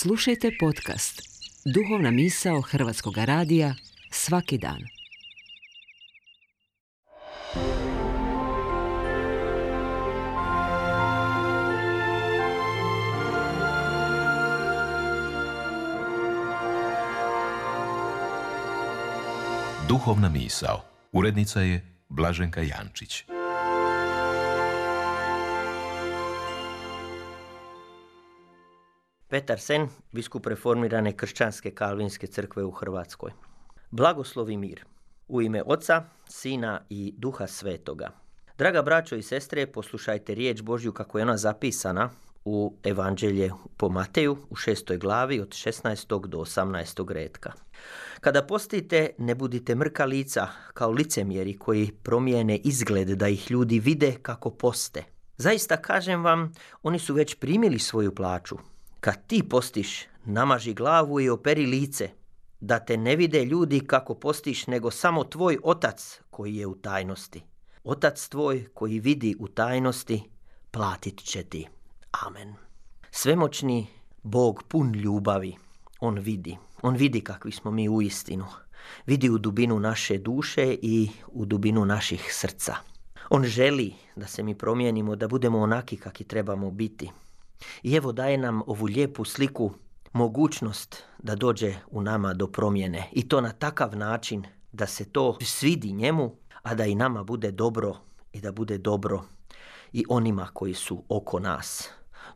Slušajte podcast Duhovna misao Hrvatskog radija svaki dan. Duhovna misao. Urednica je Blaženka Jančić. Petar Sen, biskup reformirane kršćanske kalvinske crkve u Hrvatskoj. Blagoslov i mir. U ime Oca, Sina i Duha Svetoga. Draga braćo i sestre, poslušajte riječ Božju kako je ona zapisana u Evanđelje po Mateju u 6. glavi od 16. do 18. retka. Kada postite, ne budite mrka lica kao licemjeri koji promijene izgled da ih ljudi vide kako poste. Zaista kažem vam, oni su već primili svoju plaću. Kad ti postiš, namaži glavu i operi lice, da te ne vide ljudi kako postiš, nego samo tvoj Otac koji je u tajnosti. Otac tvoj koji vidi u tajnosti, platit će ti. Amen. Svemoćni Bog pun ljubavi, On vidi kakvi smo mi uistinu. Vidi u dubinu naše duše i u dubinu naših srca. On želi da se mi promijenimo, da budemo onaki kakvi trebamo biti. I evo daje nam ovu lijepu sliku, mogućnost da dođe u nama do promjene. I to na takav način da se to svidi njemu, a da i nama bude dobro i da bude dobro i onima koji su oko nas.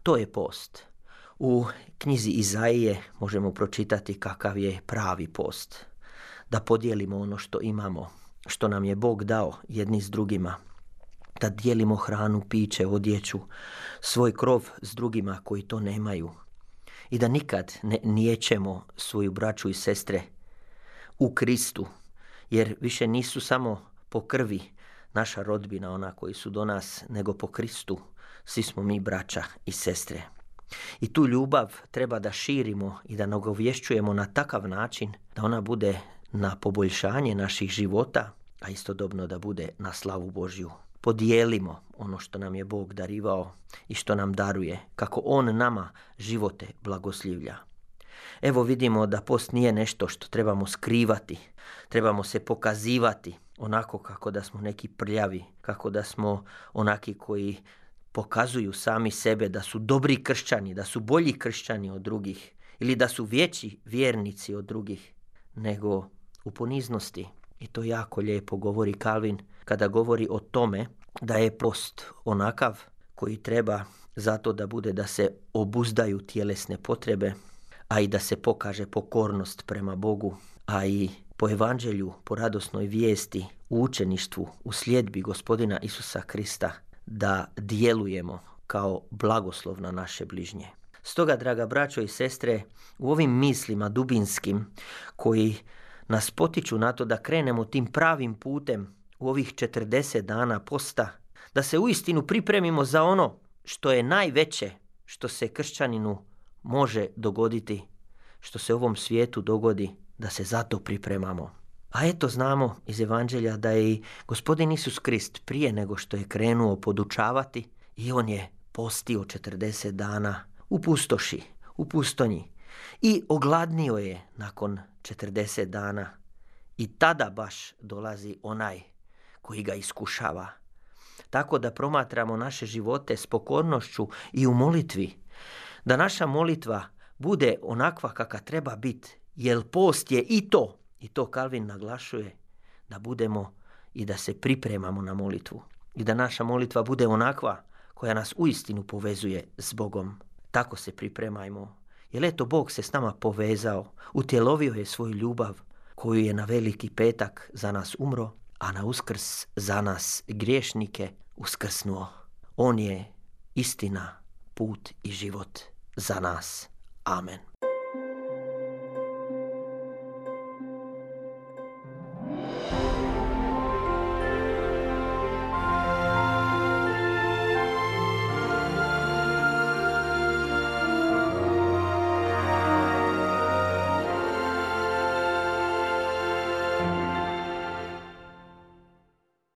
To je post. U knjizi Izaije možemo pročitati kakav je pravi post. Da podijelimo ono što imamo, što nam je Bog dao jedni s drugima. Da dijelimo hranu, piće, odjeću, svoj krov s drugima koji to nemaju. I da nikad ne niječemo svoju braću i sestre u Kristu, jer više nisu samo po krvi naša rodbina, ona koji su do nas, nego po Kristu svi smo mi braća i sestre. I tu ljubav treba da širimo i da nagovješćujemo na takav način da ona bude na poboljšanje naših života, a istodobno da bude na slavu Božju. Podijelimo ono što nam je Bog darivao i što nam daruje, kako On nama živote blagoslivlja. Evo vidimo da post nije nešto što trebamo skrivati, trebamo se pokazivati onako kako da smo neki prljavi, kako da smo onaki koji pokazuju sami sebe da su dobri kršćani, da su bolji kršćani od drugih ili da su veći vjernici od drugih, nego u poniznosti. I to jako lijepo govori Kalvin kada govori o tome da je post onakav koji treba zato da bude da se obuzdaju tjelesne potrebe, a i da se pokaže pokornost prema Bogu, a i po evanđelju, po radosnoj vijesti, u učeništvu, u sljedbi Gospodina Isusa Krista, da djelujemo kao blagoslov na naše bližnje. Stoga, draga braćo i sestre, u ovim mislima dubinskim koji nas potiču na to da krenemo tim pravim putem u ovih 40 dana posta, da se uistinu pripremimo za ono što je najveće što se kršćaninu može dogoditi, što se ovom svijetu dogodi, da se zato pripremamo. A eto znamo iz Evanđelja da je i Gospodin Isus Krist prije nego što je krenuo podučavati i on je postio 40 dana u pustoši, u pustonji i ogladnio je nakon 40 dana i tada baš dolazi onaj koji ga iskušava. Tako da promatramo naše živote s pokornošću i u molitvi, da naša molitva bude onakva kakva treba biti, jer post je i to Kalvin naglašuje, da budemo i da se pripremamo na molitvu i da naša molitva bude onakva koja nas uistinu povezuje s Bogom. Tako se pripremajmo, jer eto Bog se s nama povezao, utjelovio je svoju ljubav koju je na Veliki petak za nas umro, a na Uskrs za nas griješnike uskrsnuo. On je istina, put i život za nas. Amen.